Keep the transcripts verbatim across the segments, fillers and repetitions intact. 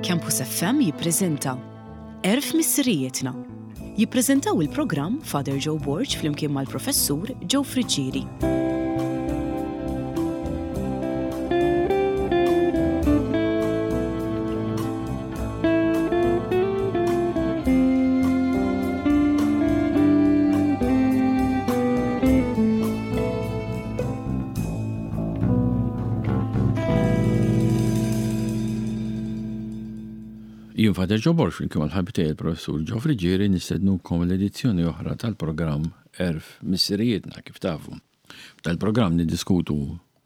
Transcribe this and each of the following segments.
Campus F M jippreżenta Għerf Missirijietna. Jippreżentaw il-programm Father Joe Borg flimkien mal-Professur Joe Friggieri. Jien Father Joe Borg flimkien mal-ħabib tiegħi il-Professur Joe Friggieri nistednukom l-edizzjoni oħra tal-programm Għerf Missirijietna, kif tafu. Tal-programm niddiskutu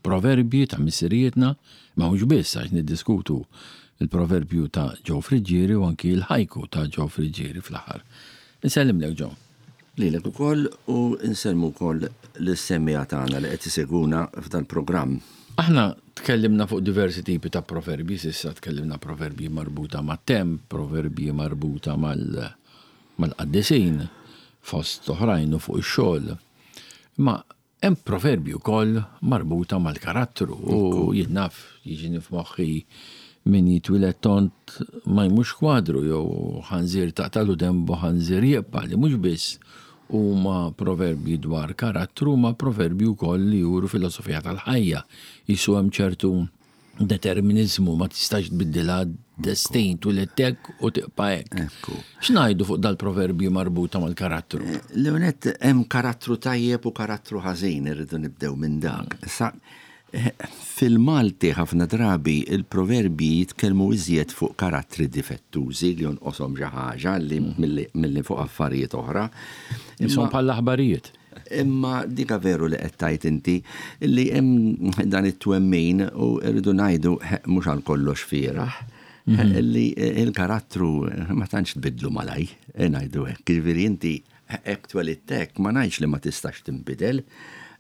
proverbji ta' missirijietna, ma mhux biss, għax niddiskutu il-proverbju ta' Joe Friggieri u anki l-ħajku ta' Joe Friggieri fl-aħħar. Nsellimlek, Joe. Lilek ukoll u nsellmu wkoll lis-semmiegħa tagħna li qed isegwuna f'dan programm. Aħna tkellimna fuq diversi tipi ta' proverbji, s'issa tkellimna proverbji marbuta ma' temp, proverbji marbuta mal- mal-qaddisin, fost oħrajn u fuq ix-xogħol. Ma hemm proverbji wkoll marbuta mal-karattru u jien naf, jiġini f'moħħi min jitwieled tond ma jmux kwadru, jew ħanżir taqtalu dembu ħanżir jibqa', li mhux biss huma proverbji dwar karattru, ma proverbji wkoll li juru filosofija tal-ħajja. Jisu hemm ċertu determinizmu, ma tistax tbiddilha, destin, twilidt hekk u tibqa' hekk. Ekku. X'ngħidu fuq dal-proverbji marbuta mal-karattru? Leonet, hemm karattru tajjeb u karattru ħażin, irridu nibdew minn dak. Sa fil-Malti ħafna drabi il-proverbji jitkellmu iżjed fuq karattri difettużi li jonqoshom xi ħaġa li milli, milli fuq affarijiet oħra. Jisom bħal aħbarijiet. Imma dika veru li qed tgħid inti li hemm dan it-twemmin u rridu ngħidu mhux għal kollox fieraħ li il-karattru ma tantx tbidlu malaj, ngħidu hekk. Jiġifieri inti hekk twelidt hekk, ma ngħidx li ma tistax tinbidel,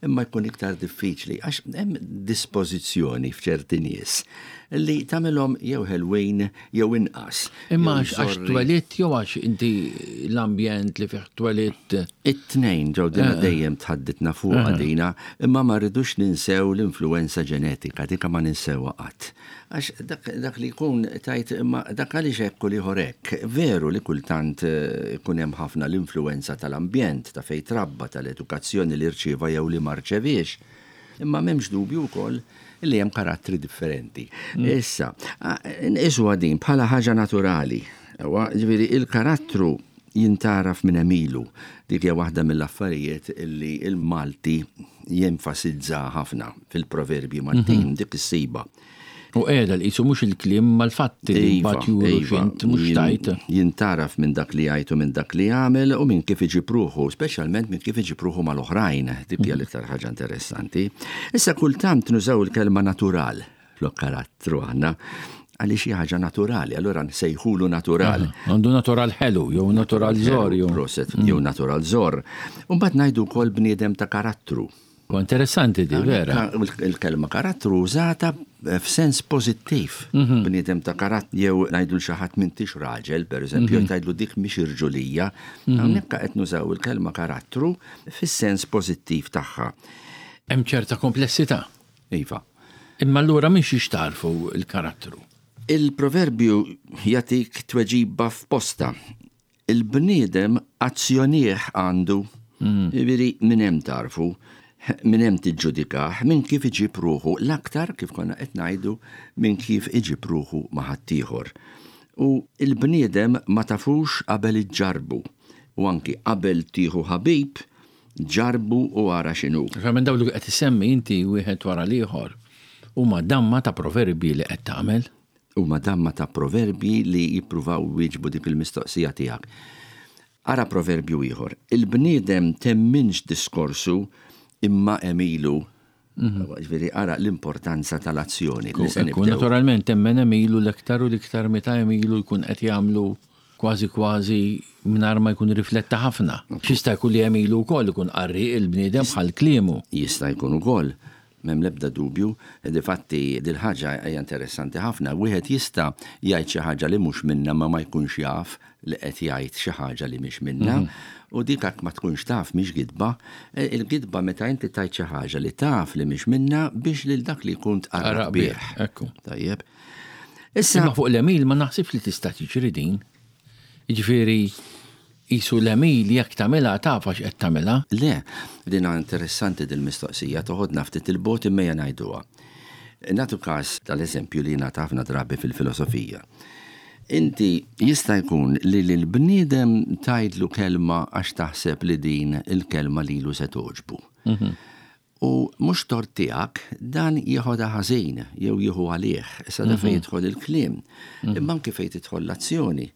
imma jkun iktar diffiċli għax hemm dispożizzjoni f'ċerti nies li tagħmilhom jew ħelwin jew inqas. Imma jew għax għax żorri. twelidt jew għax inti l-ambjent li fih twelidt? It-tnejn ġew dina dejjem tħadditna fuq dina, imma ma rridux ninsew l-influenza ġenetika, dika ma ninsewha qatt. Għax dak, dak li jkun tajt, imma dak għaliex hekk u l-ieħor hekk. Veru li kultant eh, ikun hemm ħafna l-influenza tal-ambjent, ta' fejn trabba, tal-edukazzjoni li rċieva jew li ma rċeviex. Imma m'hemmx dubju wkoll li hemm karattri differenti. Issa, a- nqisuha din bħala ħaġa naturali. Ewa, ġifieri il-karattru jintaraf minn għemilu. Dik hija waħda mill-affarijiet illi il-Malti jenfasizza ħafna fil-proverbji Maltin, dik is-siba. U qiegħda li qisu mhux il-kliem mal-fatti li Iva, mbagħad juru iva, x'int mhux jin- tajt. Jintaraf minn dak li jgħid u minn dak li jagħmel u minn kif iġib ruħu, speċjalment minn kif iġib ruħu mal-oħrajn. Dik hija l-iktar ħaġa interessanti. Issa kultant nużaw il-kelma natural flok karattru aħna, għaliex xi ħaġa naturali, allura nsejħulu natural. Għandu natural ħelu, jew natural żor, jew. Proset, jew natural żor. U mbagħad ngħidu wkoll bniedem ta' karattru. U interessanti di, vera. Ka- Il-kelma karattru użata f'sens pożittiv. Bniedem ta' karattru, jew ngħidu l xi ħadd m'intix raġel, per eżempju, jew tgħidlu dik mhix irġulija. Hawnhekk qed nużaw il-kelma karattru fis-sens pożittiv tagħha. Hemm ċerta komplessità. Iva. Imma allura mhix jixtarfu il-karattru. Il-proverbju jagħtik tweġiba f'posta. Il-bniedem azzjonieh għandu. Jiġifieri minn hemm tarfu, minn hemm tiġġudikah, minn kif iġib ruħu, l-aktar kif konna qed ngħidu minn kif iġib ruħu ma' ħaddieħor. U il-bniedem ma tafux qabel iġġarbu. U anki qabel tieħu ħabib, ġarbu u ara x'inhu. Minn dawn li qed isemmi inti wieħed wara l-ieħor huma damma ta' proverbji li qed tagħmel. Huma damma ta' proverbji li jippruvaw wieġbu dik il-mistoqsija tiegħek. Ara proverbju ieħor. Il-bniedem temminx diskorsu imma għemilu. Ġifieri ara l-importanza tal-azzjoni li se Ekku, nibdew. naturalment temmen għemilu l-iktar u l-iktar meta għemilu jkun qed jagħmlu kważi kważi mingħajr ma jkun rifletta ħafna. X'jista' jkun li għemilu wkoll ikun qarri il-bniedem bħal kliemu. Jista' jkun ukoll. M'hemm l-ebda dubju, difatti dil-ħaġa hija interessanti ħafna. Wieħed jista' jgħid xi ħaġa li mhux minna ma ma jkunx jaf li qed jgħid xi ħaġa li mhix minna. U dik hekk ma tkunx taf mhix gidba. E, il-gidba meta inti tgħid xi ħaġa li taf li mhix minna biex lil dak li jkun tqarraq Tqarraq bih. bih, ekku. Tajjeb. Issa Imma fuq l-għemil ma naħsibx li tista' tiġri din. Jiġifieri qisu l-għemil jekk tagħmilha taf għax qed tagħmilha. Le, dina interessanti dil-mistoqsija, toħodna ftit il-bogħod imma ejja ngħiduha. Nagħtu każ tal-eżempju li ngħata ħafna drabi fil-filosofija. Inti jista' jkun li l-bniedem tgħidlu kelma għax taħseb li din il-kelma lilu se togħġbu. U mhux tort tiegħek dan jieħodha ħażin jew jieħu għalih, issa da fejn jidħol il-kliem. Imma anke fejn tidħol l-azzjoni.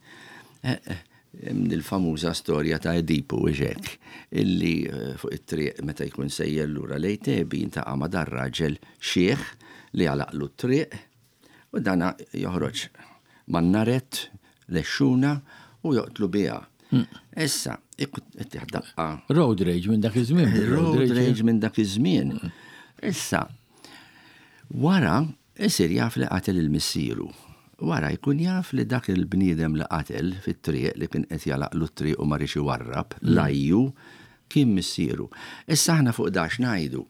Eh, eh, hemm il-famuża storja ta' Edipu hekk, illi eh, fuq it-triq meta jkun sejjer lura lejn Tebi jiltaqa' ma' dar-raġel xiħ li għalaqlu t-triq u dana joħroġ man-naret lexxuna u joqtlu biha. Issa, ittih daqqa Road rage minn dak iż-żmien. Road rage minn dak iż-żmien. Issa, wara isir jaf li qatel il-missieru. Wara jkun jaf li dak il-bniedem li qatel fit-triq li kien qed jagħlaqlu t-triq u ma riedx iwarrab, Laju, kien missieru. Issa aħna fuq dan x'ngħidu.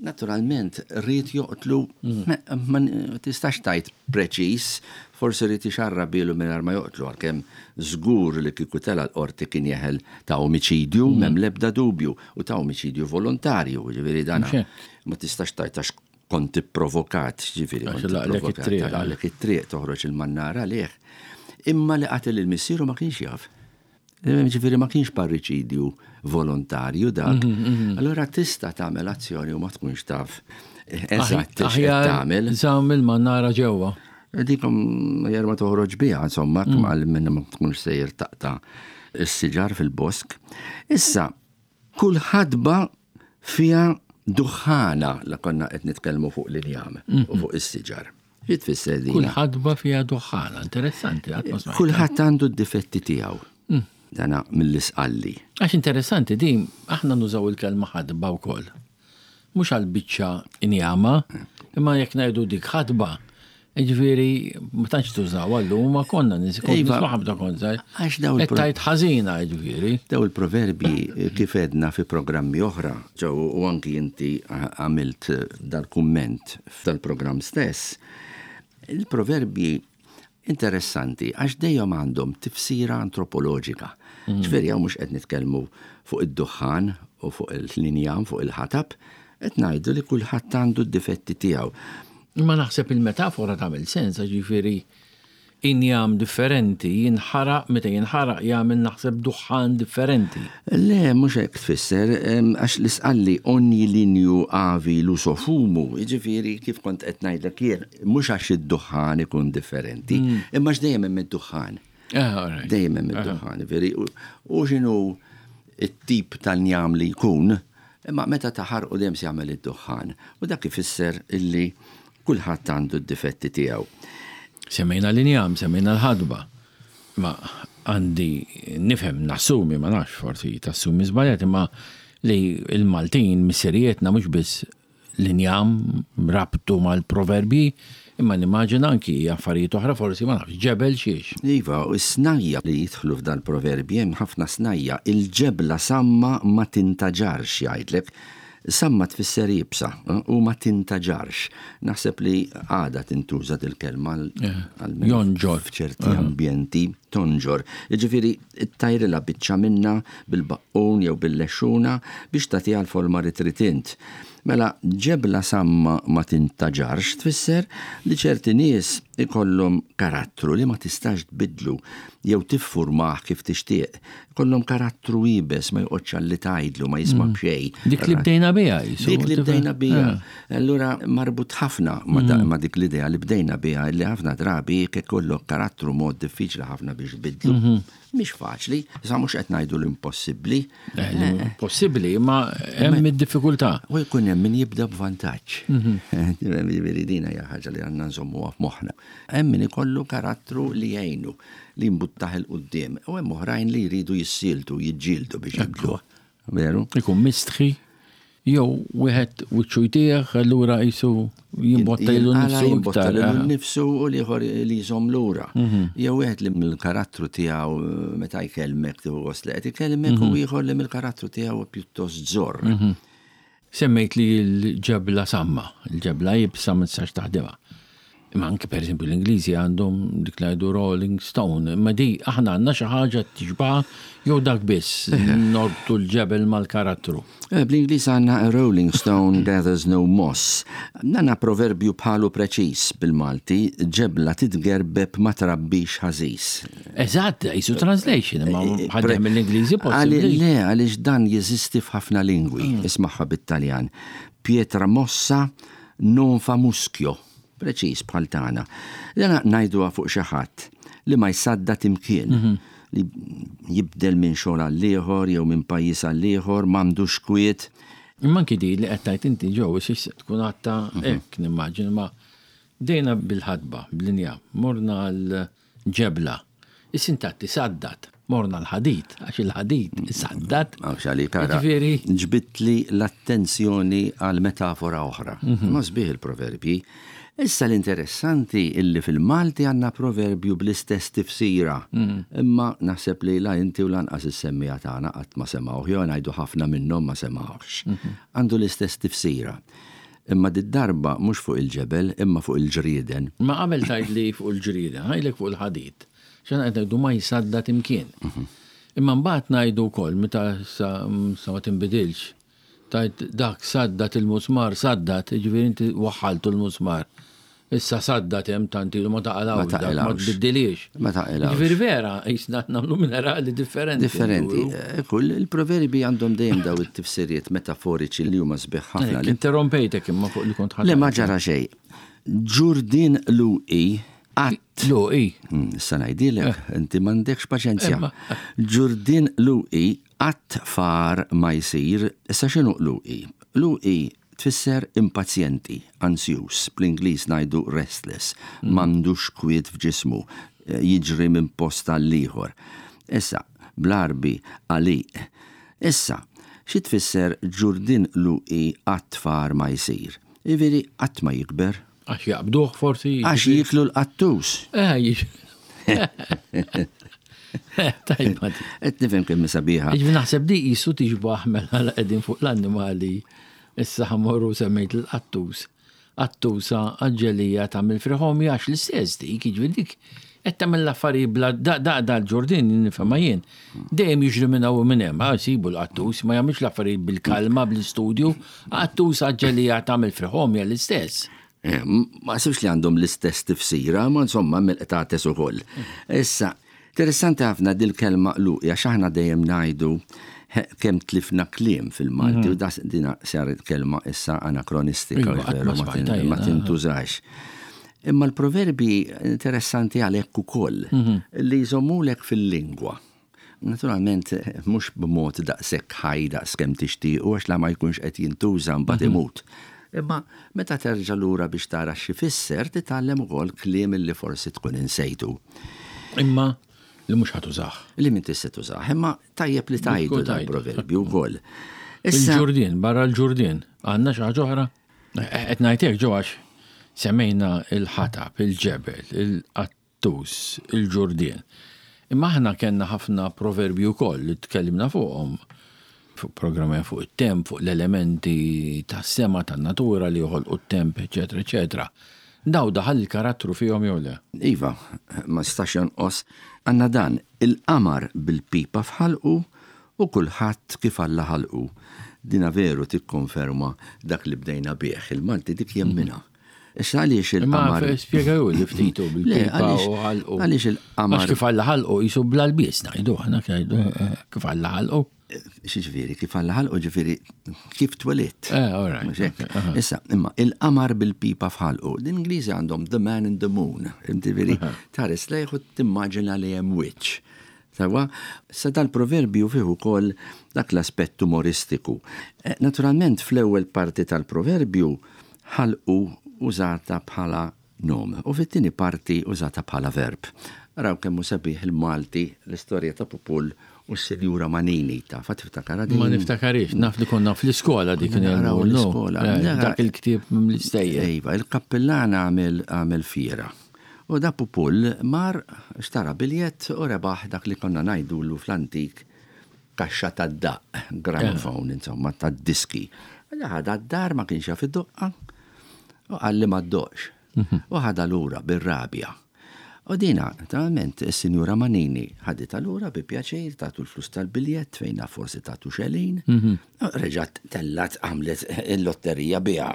Naturalment, ried joqtlu, ma ma tistax tgħid preċis, forsi ried ixarrabhielu mingħajr ma joqtlu, għalkemm żgur li kieku tela' l-qorti kien jeħel ta' omicidju, m'hemm l-ebda dubju, u ta' omicidju volontarju, ġifieri dana Mhux hekk. ma tistax tgħid għax kont ipprovokat, ġifieri Għax kont laqlek ipprovokat, it-triq. laqlek it-triq toħroġ il-mannara għalih. Imma li qatel il-missieru ma kienx jaf. Ġifieri ma kienx parriċidju volontarju dak. Allora tista' tagħmel azzjoni u ma tkunx taf eżatt x'qed Aħjar tagħmel. Żamm il-mannara ġewwa. Dikom jar ma toħroġ biha, insomma, għal minna ma tkunx sejjer taqta' s-siġar fil-bosk. Issa, kull ħadba fiha duħħana la konna qed nitkellmu fuq l-injam u fuq is-siġar. Xi tfisser din? Kull ħadba fiha duħħana, interessanti, qatt ma smajtha. Kulħadd għandu d-difetti tiegħu. Dana mill-isqalli. Għax interessanti din, aħna nużaw il-kelma ħadba wkoll. Mhux għal biċċa injama, imma jekk ngħidu dik ħadba, ġifieri ma tantx tużaw għallu, ma konna nis kont Iva. nisma' ħabta kont żgħir. Għax daw il- Qed tgħid ħażina ġifieri. Daw il-proverbi kif għedna fi programmi oħra, ġew u anki inti għamilt dal-kumment f'dal-programm stess, il-proverbi interessanti għax dejjem għandhom tifsira antropoloġika. Ġifieri hawn mhux qed nitkellmu fuq id-duħħan u fuq il-linjam, fuq il-ħatab, qed ngħidu li kulħadd għandu d-difetti tiegħu. Imma naħseb il-metafora tagħmel sens, ġifieri injam differenti, jinħaraq, meta jinħaraq jagħmel naħseb duħħan differenti. Le, mhux hekk tfisser, em, għax l-isqalli ogni lignu havi lu suo fumu, jiġifieri kif kont qed ngħidlek jien, mhux għax id-duħħan ikun differenti, imma għax dejjem hemm id-duħħan. Ah, all right. Dejjem hemm id-duħħan, veri, u u x'inhu it-tip tal-njam li jkun, imma meta taħarqu dejjem se jagħmel id-duħħan. U dak ifisser illi kulħadd għandu d-difetti tiegħu. Semmejna l-injam, semmejna l-ħadba. Ma għandi nifhem nassumi, ma nafx forsi tassumi żbaljat, imma li il-Maltin missirietna mhux biss l-injam rabtu mal-proverbji, imma nimmaġina anki affarijiet oħra forsi ma nafx ġebel xiex. Iva, u s-snajja li jidħlu f'dan proverbji hemm ħafna snajja, il-ġebla samma ma tintaġarx jgħidlek. Samma tfisser iebsa eh, u ma tintaġarx. Naħseb li għada tintuża dil-kelma għal Jonġor. f'ċerti ambjenti tonġor. Jiġifieri ttajrilha biċċa minna bil-baqqun jew bil-lexxuna biex tagħtiha l-forma li trid int. Mela ġebla samma ma tintaġarx tfisser li ċerti nies ikollhom karattru li ma tistax tbidlu jew tiffurmah kif tixtieq. Ikollhom karattru iebes ma joqgħodx għalli tgħidlu ma jisma' b'xejn. Dik li bdejna biha. jisu, Dik li tifhem? bdejna biha. Ah. Allura marbut ħafna ma, da, ma dik l-idea li bdejna biha li ħafna drabi jekk ikollok karattru mod diffiċli ħafna biex tbidlu. Mhix faċli, sa mhux qed ngħidu l-impossibbli. Eh, li Possibbli, imma hemm id-diffikultà. U jkun hemm min jibda b'vantaġġ. Ġifieri dina hija ħaġa li għandna nżommuha f'moħħna. Hemm min ikollu karattru li jgħinu li jimbuttah 'il quddiem u hemm oħrajn li jridu jissieltu, jiġġieldu biex jibdluh. Veru? Ikun mistħi, jew wieħed wiċċu jtieħ, allura jisu jimbotta lilu Jinqala, nnifsu jimbotta iktar. lilu ah. nnifsu u l-ieħor li jżomm lura. Jew wieħed li mill-karattru tiegħu eh, meta jkellmek tieħu gost li qed ikellmek u ieħor li mill-karattru tiegħu pjuttost żorr. Semmejt li l-ġebla samma, l-ġebla iebsa ma tistax taħdimha. Imma anke per eżempju l-Ingliżi għandhom dik li jgħidu Rolling Stone, imma di aħna għandna xi ħaġa tixbaha jew dak biss norbtu l-ġebel mal-karattru. Eh, Bl-Ingliż għandna "A rolling stone gathers no moss". Għandna proverbju bħalu preċis bil-Malti, "Ġebla titgerbeb ma trabbix ħażiż". Eżatt, jisu translation, imma ħadem mill-Ingliżi Għali- possibbli. Le, għaliex dan jeżisti f'ħafna lingwi, ismagħha bit-Taljan. "Pietra mossa non fa muschio". Preċis bħal tagħna. Dana ngħiduha fuq xi ħadd li ma jsaddat imkien, li jibdel minn xogħol għal ieħor jew minn pajjiż għal ieħor, m'għandux kwiet. Imma anki di li qed tgħid inti ġew issa tkun għatta hekk nimmaġin ma dejna bil-ħadba, bl-inja, morna l-ġebla. Is-sintatti saddat, morna l-ħadid, għax il-ħadid saddat. Għax għalik ara, Ġifieri, ġbidtli l-attenzjoni għal metafora oħra. Ma sbieħ il-proverbji. Issa l-interessanti illi fil-Malti għandna proverbju bl-istess tifsira. Imma naħseb li la inti u lanqas is-semmija tagħna qatt ma semgħuh, jew ngħidu ħafna minnhom ma semgħuhx. Għandu l-istess tifsira. Imma did-darba mhux fuq il-ġebel, imma fuq il-ġrieden. Ma qabel tgħid li fuq il-ġrida, ngħidlek fuq il-ħadid. Xan qed ngħidu ma jsaddat imkien. Imma mbagħad ngħidu wkoll meta sa sa ma tinbidilx. Tajt dak saddat il-musmar, saddat, ġifieri inti waħħaltu l-musmar. Issa saddat hemm tant ilu ma taqalgħux, Ma dak, ma taqilgħux. tbiddilix. Ma taqilgħux. Ġifieri vera, jisna nagħmlu minerali differenti. Differenti. Eh, Kull il-proverbi għandhom dejjem daw it-tifsiriet metaforiċi li huma sbieħ ħafna. Ek, Interrompejtek imma fuq li kont ħadd. Le, ma ġara xejn. Ġurdin luqi qatt. Lu, i. Mm, Issa ngħidilek, inti m'għandekx paċenzja. Imma. Ġurdin luqi qatt far ma jsir, issa x'inhu luqi? Luqi tfisser impazjenti, ansjus, bl-Ingliż ngħidu restless, m'għandux kwiet f'ġismu, eh, jiġri minn post għal ieħor. Issa, bl-Għarbi għaliq. Issa, xi tfisser ġurdin luqi qatt far ma jsir? Iveri qatt ma jikber. Għax jaqbduh forsi. Għax jiklu l-qattus. Eh, jix. Tajba di. Qed nifhem kemm sabiħa. Ġifieri naħseb di jisu tixbaħ mela la qegħdin fuq l-annimali. Issa ħa mmorru semmejt l-qattus. Qattusa għaġġelija tagħmel friħomi għax l-istess dik, jiġifieri dik qed tagħmel l-affarijiet bla da da da l-ġurdin nifhimha jien. Dejjem jiġri minn hawn u minn hemm, ah, sibu l-qattus, ma jagħmilx l-affarijiet bil-kalma bl-istudju, qattus għaġġelija tagħmel friħomi l-istess. Eh, Ma sibx li għandhom l-istess tifsira, ma insomma mill-qtates ukoll. Issa, interessanti ħafna dil-kelma luqi, għax aħna dejjem ngħidu he, kemm tlifna kliem fil-Malti, u das dina saret kelma issa anakronistika, Iva, qatt veru, ma ma tin- smajtha ma jiena. tintużax. Imma l-proverbi interessanti għalhekk ukoll, li jżommulek fil-lingwa. Naturalment, mhux b'mod daqshekk ħaj daqs kemm tixtiequ, għax la ma jkunx qed jintuża mbagħad imut. Imma meta terġa' lura biex tara x'ifisser, titgħallem ukoll kliem li forsi tkun insejtu. Imma li mhux ħa tużah. Li min tista' tużah, imma tajjeb li tajdu Tkun dan tajdu. proverbju wkoll. Issa, Il-ġurdien, barra l-ġurdien, għandna xi ħaġa oħra? Qed ngħidlek ġo għax semmejna il-ħatab, il-ġebel, il-qattus, il-ġurdien. Imma aħna kellna ħafna proverbji wkoll li tkellimna fuqhom fuq programmi fuq it-temp, fuq l-elementi tas-sema tan-natura li joħolqu t-temp, eċetera, eċetera. Daw daħal il-karattru fihom jew le? Iva, ma stax jonqos, għandna dan: "Il-qamar bil-pipa f'ħalqu u kulħadd kif Alla ħalqu". Dina veru tikkonferma dak li bdejna bih, il-Malti dik jemminha. Issa għaliex Imma il-qamar? spjegaw li ftitu Le, bil-pipa għaliex- u ħalqu. Għaliex il-qamar? Għax kif Alla ħalqu jisu bla lbies ngħidu aħna ngħidu eh, kif Alla ħalqu. Ġifieri, kif Alla ħalqu, ġifieri, kif twelidt. Eh, all right, Mhux hekk? okay, aha. Issa, imma il-qamar bil-pipa f'ħalqu. L-Ingliżi għandhom "the man in the moon". Ġifieri, tħares lejh u timmaġina li hemm wiċċ. Sawa, sa dal-proverbju fih ukoll dak l-aspett umoristiku. Eh, Naturalment, fl-ewwel parti tal-proverbju ħalqu użata bħala nom u fit-tieni parti użata bħala verb. Raw kemm hu sabiħ il-Malti, l-istorja ta' Pupul u s-Sinjura Manini ta' tiftakarha din? Ma niftakarix, naf li konna fl-iskola dik Konna naqraw nagħmlu, no. l-iskola. Eh, Dak il-ktieb mill-istejjer. Iva, il-kappillana għamel għamel fiera. U da Pupul mar xtara biljett u rebaħ dak li konna ngħidulu fl-antik kaxxa tad-daq, gramophone, insomma, tad-diski. Ħadha d-dar, ma kienx jaf id-doqqa u qalli ma ddoqx. U ħadha lura bir-rabja. U dina, naturalment, is-Sinjura Manini ħaditha lura bi pjaċir, tatu l-flus tal-biljett fejn naf forsi tatu xelin. Reġgħet tellat għamlet il-lotterija biha.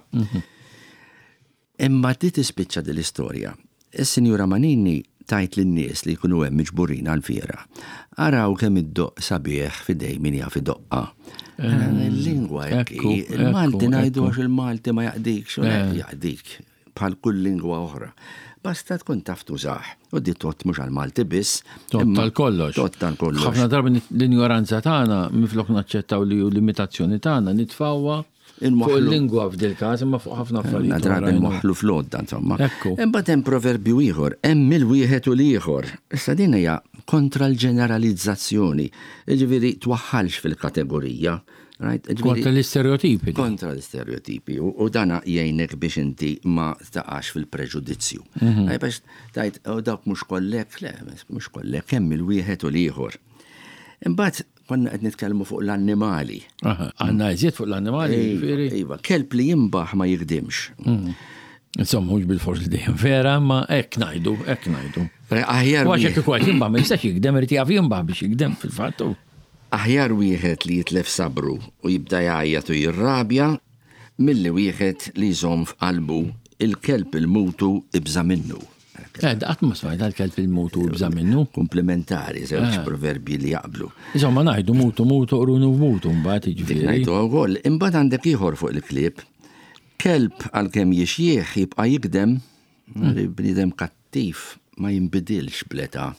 Imma di tispiċċa din l-istorja. Is-Sinjura Manini tajt lin-nies li jkunu hemm miġburin għal-fiera. Araw kemm iddoqq sabiħ f'idejn min jaf idoqqha. Il-lingwa hekk Ekku, il-Malti ekku, ngħidu ekku. għax il-Malti ma jaqdikx, u le, jaqdik bħal kull lingwa oħra. Basta tkun taf tużah. U di tgħodd mhux għal-Malti biss. Tgħodd imma tal-kollox. Tgħodd tal-kollox. Ħafna drabi l-ignoranza tagħna minflok naċċettaw li hu limitazzjoni tagħna nitfgħuha fuq Inwaħħlu. il-lingwa f'dil każ imma fuq ħafna affarijiet. Ħafna drabi oħrajn. nwaħħlu fl-għodda, insomma. Ekku. Imbagħad hemm proverbju ieħor, hemm il-wieħed u l-ieħor. Issa din hija kontra l-ġeneralizzazzjoni. Jiġifieri twaħħalx fil-kategorija. Right? Jiġifieri- Kontra l-istereotipi. Kontra l-istereotipi. U, u dana jgħinek biex inti ma taqax fil-preġudizzju. Mhm. Mm Biex tajt, u dawk mhux kollek, le, mhux kollek, hemm il-wieħed u l-ieħor. Imbagħad konna qed nitkellmu fuq l-annimali. Aha, Għandna iżjed fuq l-annimali, jiġifieri. Iva, kelb li jimbaħ ma jikdimx. Insomma, mhux bil-fors li dejjem vera, ma hekk ngħidu, hekk ngħidu. Aħjar U għax wieħed- hekk ikun qed jimbaħ ma jistax jikdem irid jaf jimbaħ biex jikdem fil-fatt. u- Aħjar wieħed li jitlef sabru u jibda jgħajjat u jirrabja milli wieħed li jżomm f'qalbu il-kelb il-mutu ibża minnu. Eh, qatt ma smajt għal-kelb il-mutu ibża minnu. Komplementari, żewġ proverbji li jaqblu. Insomma, ngħidu mutu mutu qrunu mutu mbagħad Dik jiġifieri. ngħidu wkoll, imbagħad għandek ieħor fuq il-klieb. Kelb għalkemm jixjieħ jibqa' jikdem, li bniedem kattiv ma jinbidilx bl-età.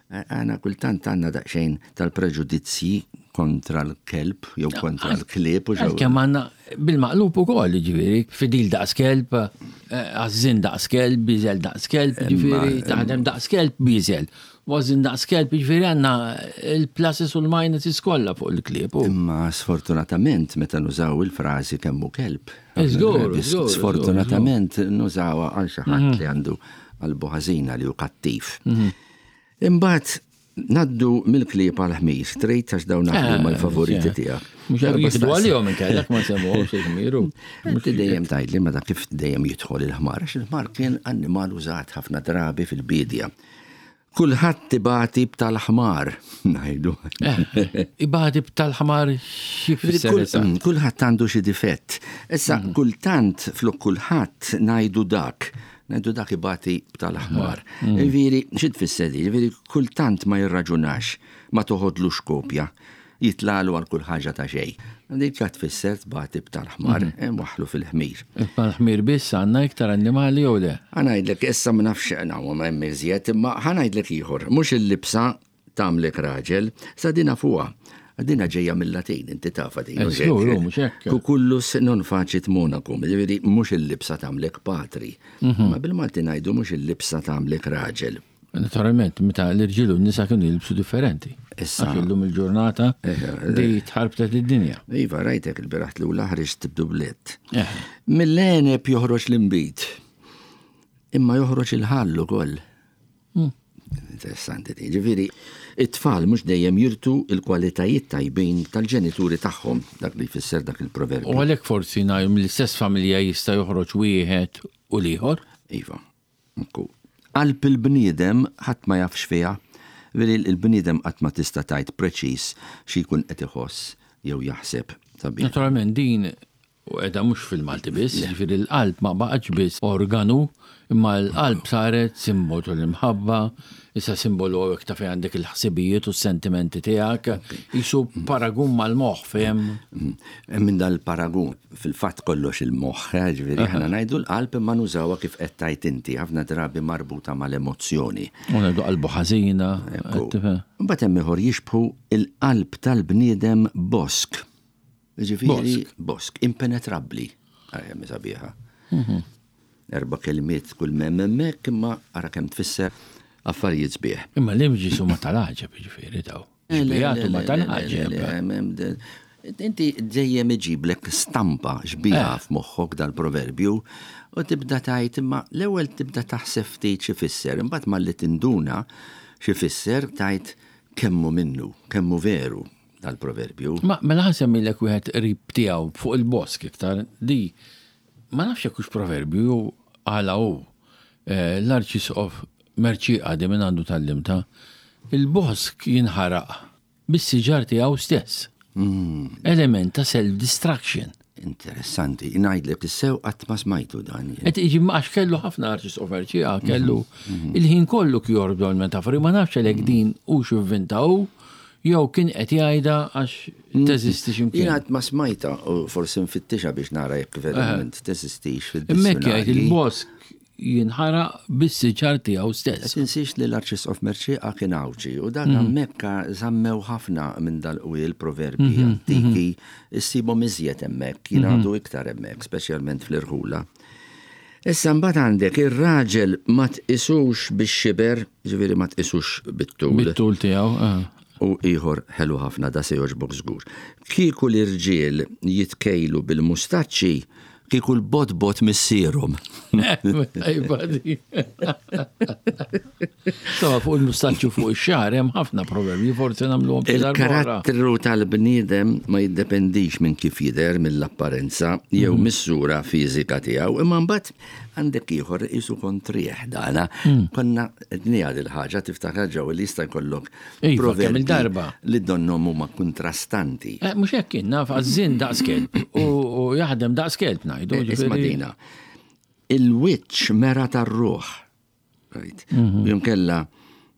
Għana kultant għandna daqsxejn tal-preġudizzji kontra l-kelb jew kontra l-klieb u ġew. Kemm għandna bil-maqlub ukoll, jiġifieri, fidil daqs kelb, eh, għażżien daqs kelb, biżel daqs kelb, jiġifieri, taħdem daqs kelb, biżel. Għażżien daqs kelb, jiġifieri għandna il-pluses u l-minuses kollha fuq il-klieb. u- Imma sfortunatament meta nużaw il-frażi kemm hu kelb. Żgur, żgur, Sfortunatament nużawha għal xi ħadd li għandu qalbu ħażina li hu kattiv. Imbagħad ngħaddu mill-klieb għal ħmir, trid għax dawn Eh, huma l-favoriti eh. tiegħek. Mhux Darba jieħdu staqs- għalihom inkellek ma nsemmuhomx il-ħmiru. Inti dejjem tgħidli ma dak kif dejjem jidħol il-ħmar, għax il-ħmar kien annimal użat ħafna drabi fil-bidja. Kulħadd ibati b'tal-ħmar, ngħidu. Eh, Ibati b'tal-ħmar xi Ġifieri kull- fisser mm, Kulħadd għandu xi difett. Issa kultant flok kulħadd ngħidu dak, ngħidu dak ibati b'tal-ħmar. Ġifieri xi tfisser di? Ġifieri kultant ma jirraġunax, ma toħodlux kopja, jitlalu għal kull ħaġa ta' xejn. Dik qa tfisser tbati b'tal-ħmar, waħlu fil-ħmir. Imma l-ħmir biss għandna iktar annimali jew le? Ħa ngħidlek, issa ma nafx naw ma hemm iżjed, imma ħa ngħidlek ieħor, mhux il-libsa tagħmlek raġel, sa dina fuqha. Dina ġejja mill-Latin, inti tafha din. Eh, mhux żgur, hekk? mhux hekk. Cucullus non facit monachum, ġifieri mhux il-libsa tagħmlek patri. Mhm. Ma bil-Malti ngħidu mhux il-libsa tagħmlek raġel. Naturalment, meta l-irġiel u n-nisa kienu jilbsu differenti. Issa. Għax illum il-ġurnata Eh, di tħarbtet id-dinja. Iva, rajtek il-bieraħ l ħriġt b'dublett. Eh. Mill-għeneb joħroġ l-inbid, imma joħroġ il-ħall ukoll. Interessanti di. Ġifieri, it-tfal mhux dejjem jirtu il-kwalitajiet tajbin tal-ġenituri tagħhom, dak li jfisser dak il-proverbju. U għalhekk forsi ngħidu mill-istess familja jista' joħroġ wieħed u l-ieħor. Iva, ekku. Qalb il-bniedem ħadd ma jafx fiha. Veri il-bniedem qatt ma tista' tgħid preċiż xi jkun qed iħoss jew jaħseb sabiħ. Naturalment din u qiegħda mhux fil-Malti biss, jiġifieri l-qalb ma baqgħetx biss organu, imma l-qalb saret simbolu tal-imħabba, issa simbolu hawnhekk ta' fejn għandek il-ħsibijiet u s-sentimenti tiegħek, jisu paragun mal-moħħ fehem. Mm. Minn dal-paragun, fil-fatt kollox il-moħħ, eh, ġifieri aħna ngħidu l-qalb imma nużawha kif qed tgħid inti, ħafna drabi marbuta mal-emozzjoni. U ngħidu qalbu ħażina. Ekku. qed tifhem? Mbagħad hemm ieħor jixbħu il-qalb tal-bniedem bosk. Ġifieri bosk, impenetrabbli. Ara hemm sabiħa. Erba' kelmiet kull m'hemm hemmhekk imma ara kemm tfisser affarijiet sbieħ. Imma l-imġis huma tal-għaġeb jiġifieri daw. Xbijat huma tal-għaġeb. Inti dejjem iġiblek stampa xbieha f'moħħok dal-proverbju u tibda tgħid imma l-ewwel tibda taħseb ftit xi fisser, imbagħad malli tinduna xi fisser tgħid kemmu minnu, kemmu veru dal-proverbju. Ma mela ħa nsemmilek wieħed qrib tiegħu fuq il-bosk iktar di ma nafx jekk hux proverbju jew għala hu. Eh, L-Arċisqof Mercieca di minn għandu tgħallimtha, il-bosk jinħaraq bis-siġar tiegħu stess. Element ta' self-destruction. Interessanti, ngħidlek is-sew qatt ma smajtu dan. jien. Et iġi għax kellu ħafna Arċisqof Mercieca, kellu il-ħin kollu kjordu l-metafori, ma nafx għalhekk din u x'ivvintaw, jew kien qed jgħidha għax teżisti x'imkien. Jien qatt ma smajta u forsi nfittixa biex nara jekk verament teżistix Hemmhekk jgħid fid-dizzjonarji. il-bosk jinħaraq bis-siġar tiegħu stess. Tinsiex li l-Arċisqof Mercieca kien Għawdxi u dak hemmhekk żammew ħafna minn dal-qwiel proverbi antiki issibhom iżjed hemmhekk, jingħadu iktar hemmhekk, speċjalment fl-irħula. Issa mbagħad għandek ir-raġel ma tqisux bix-xiber, ġifieri ma tqisux bit-tul. Bit-tul tiegħu. eh. U ieħor ħelu ħafna da se jogħġbok żgur. Kieku l-irġiel jitkejlu bil-mustaċċi, kieku l-bot-bot missierhom. Tajba di. Insomma, fuq il-mustaċċu fuq ix-xagħar hemm ħafna proverbi, forsi nagħmluhom xi darba oħra. Il-karattru tal-bniedem ma jiddependix minn kif jidher mill-apparenza jew mis-sura fiżika tiegħu, imma mbagħad għandek ieħor isu kontrih dana. Konna għedniha il-ħaġa tiftakar ġew li jista' jkollok Iva, kemm il-darba. li donnhom huma kontrastanti. Eh, Mhux hekk kien naf għażżien daqs kelb u u jaħdem daqs kelb ngħidu. Eh, Isma' ġifieri- dina. Il-wiċċ mera tar-ruħ. Right. Jonkella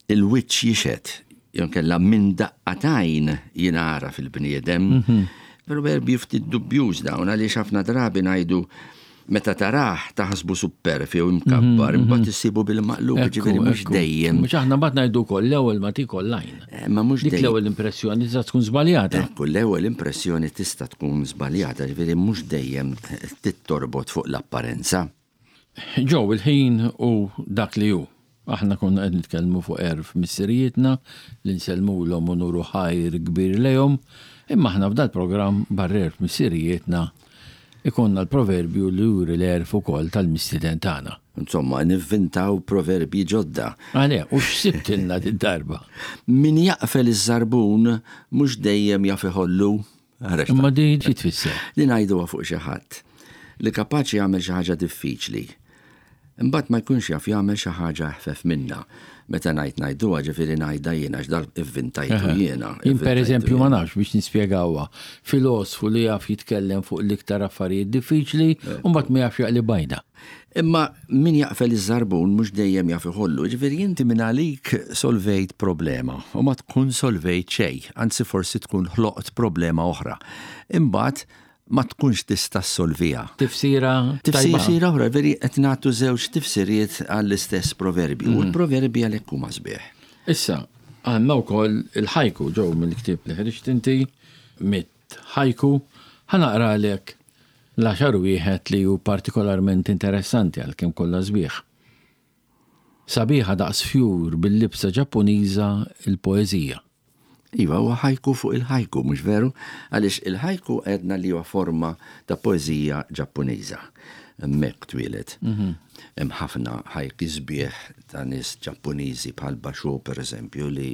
il-wiċċ jixhed, jonkella minn daqqa t'għajn jingħaraf il-bniedem. Proverbi ftit dubjuż dawn għaliex ħafna drabi ngħidu meta tarah taħsbu superf jew imkabbar, imbagħad issibu bil-maqlub, Ekku, ġifieri mhux ekku. dejjem. Mhux aħna mbagħad ngħidu wkoll l-ewwel ma tikol l-għajn. Eh, Ma mhux Dik dejjem. l-ewwel impressjoni tista' tkun żbaljata. Ekku, l-ewwel impressjoni tista' tkun żbaljata, ġifieri mhux dejjem tittorbot fuq l-apparenza. Ġew il-ħin u dak li hu. Aħna konna qed nitkellmu fuq għerf missirijietna li nsellmulhom u nuru ħajr kbir lejhom, imma aħna f'dal programm barra għerf missirijietna ikonna l-proverbju li juri l-għerf ukoll tal-mistieden tagħna. Insomma, nivvintaw proverbi ġodda. Għale, u x'sibtilna dit-darba? Min jaqfel iż-żarbun mhux dejjem jaf iħollu. Ara x'ta- Imma di xi tfisser? Li ngħiduha fuq xi ħadd li kapaċi jagħmel xi ħaġa diffiċli. Imbagħad ma jkunx jaf jagħmel xi ħaġa eħfef minnha. Meta ngħid ngħiduha ġifieri ngħidha jiena għax dal ivvintajtu jiena. Jien per ivvintajtu eżempju ma jiena. nafx biex nispjegawha. Filosfu li jaf jitkellem fuq l-iktar affarijiet diffiċli u mbagħad ma jafx jaqli bajda. Imma min jaqfel iż-żarbun mhux dejjem jaf iħollu, ġifieri inti minn għalik solvejt problema u ma tkun solvejt xejn, anzi forsi tkun ħloqt problema oħra. Imbagħad ma tkunx tista' ssolviha. Tifsira tajba. Tifsira oħra, veri qed nagħtu żewġ tifsiriet għall-istess proverbju. U l-proverbi għalhekk huma sbieħ. Issa, għandna wkoll il-ħajku ġew mill-ktieb li ħriġt inti mit ħajku ħa naqralek l-għaxar wieħed li hu partikolarment interessanti għalkemm kollha sbieħ. Sabiħa daqs fjur bil-libsa Ġappuniża il-poeżija. Iva, huwa ħajku fuq il-ħajku, mhux veru? Għaliex il-ħajku għedna li huwa forma ta' poeżija Ġappuniża. Hemmhekk twieled. Hemm ħafna ħajki sbieħ ta' nies Ġappuniżi bħal Basho per eżempju li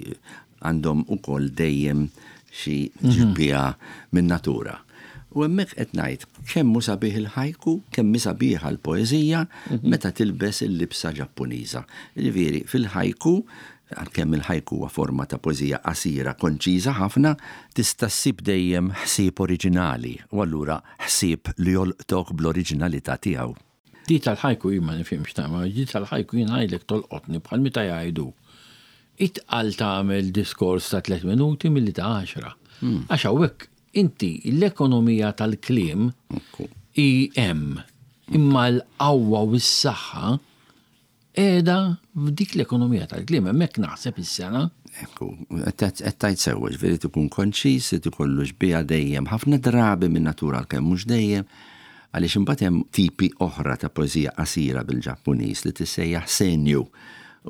għandhom ukoll dejjem xi ġbija minn natura. U hemmhekk qed ngħid kemm hu sabiħ il-ħajku, kemm hi sabiħa l-poeżija meta tilbes il-libsa Ġappuniża. Ġifieri fil-ħajku għalkemm il-ħajku huwa forma ta' poeżija qasira, konċiża ħafna, tista' ssib dejjem ħsieb oriġinali u allura ħsieb li jolqtok bl-oriġinalità tiegħu. Di tal-ħajku jien ma nifhimx ta' ma di tal-ħajku jien ngħidlek tolqotni bħal meta jgħidu. Itqal tagħmel diskors ta' tliet minuti milli ta' għaxra. Għax hawnhekk inti l-ekonomija tal-kliem Ekku. hi hemm imma l-qawwa u s-saħħa qiegħda f'dik l-ekonomija tal-kliem hemmhekk naħseb is-sena. Ekku, qed tgħid sewwa, ġifieri tkun konċis, ikollu xbieha dejjem, ħafna drabi minn natura għalkemm mhux dejjem, għaliex imbagħad hemm tipi oħra ta' poeżija qasira bil-Ġappuniż li tissejjaħ senju.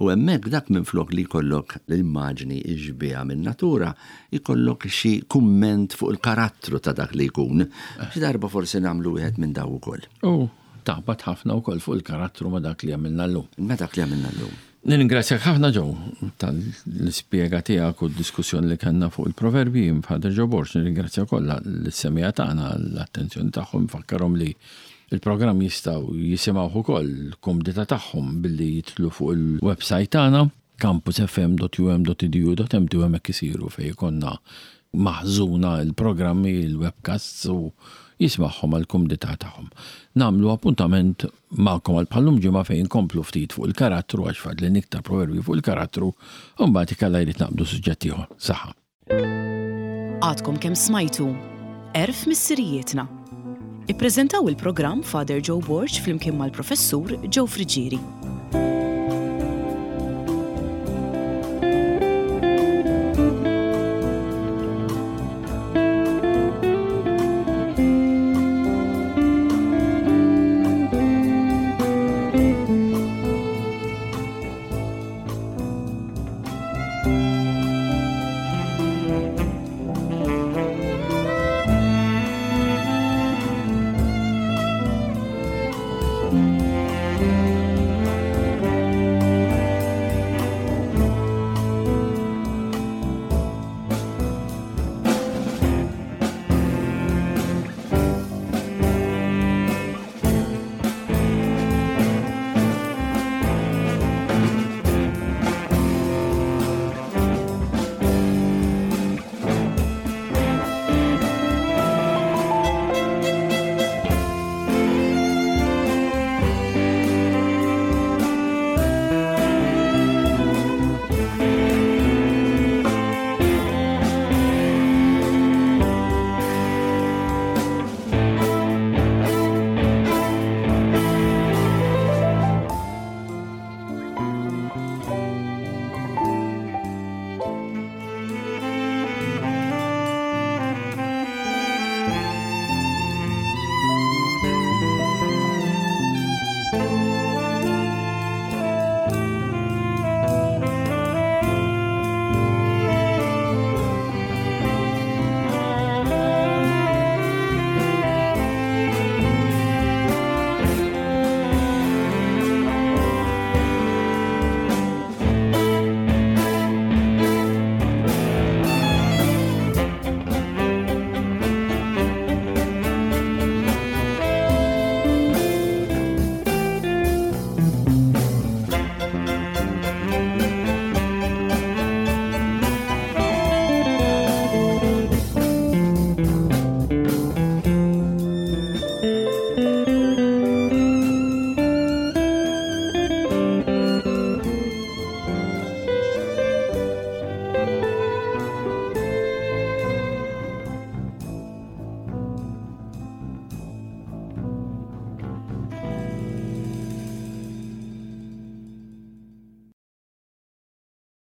U hemmhekk dak minflok li jkollok l-immaġni xbieha minn natura, jkollok xi kumment fuq il-karattru ta' dak li jkun. Xi darba forsi nagħmlu wieħed minn daw ukoll. U taħbat ħafna wkoll fuq il-karattru ma' dak li għamilna llum. Ma dak li għamilna llum. Nirringrazzjak ħafna ġew tal-ispjega tiegħek u d-diskussjoni li kellna fuq il-proverbi Father Joe Borg, nirringrazzja kollha l-semija tagħna l-attenzjoni tagħhom nfakkarhom li Il-programm jistgħu jisimgħuh ukoll kumdità tagħhom billi jidħlu fuq il-website tagħna campus F M dot U M dot edu dot M T u hemmhekk isiru fejn ikollna maħżuna il-programmi, il-webcasts, u jisimgħuhom għal kumdità tagħhom. Nagħmlu appuntament magħkom għal bħal-lum ġimgħa fejn nkomplu ftit fuq il-karattru, għax fadlilna iktar proverbi fuq il-karattru, u mbagħad ikalla jrid naqbdu suġġett ieħor. Saħħa. Għadkom kemm smajtu Għerf Missirijietna. Ippreżentaw il-programm Father Joe Borg flimkien mal-Professur Joe Friggieri.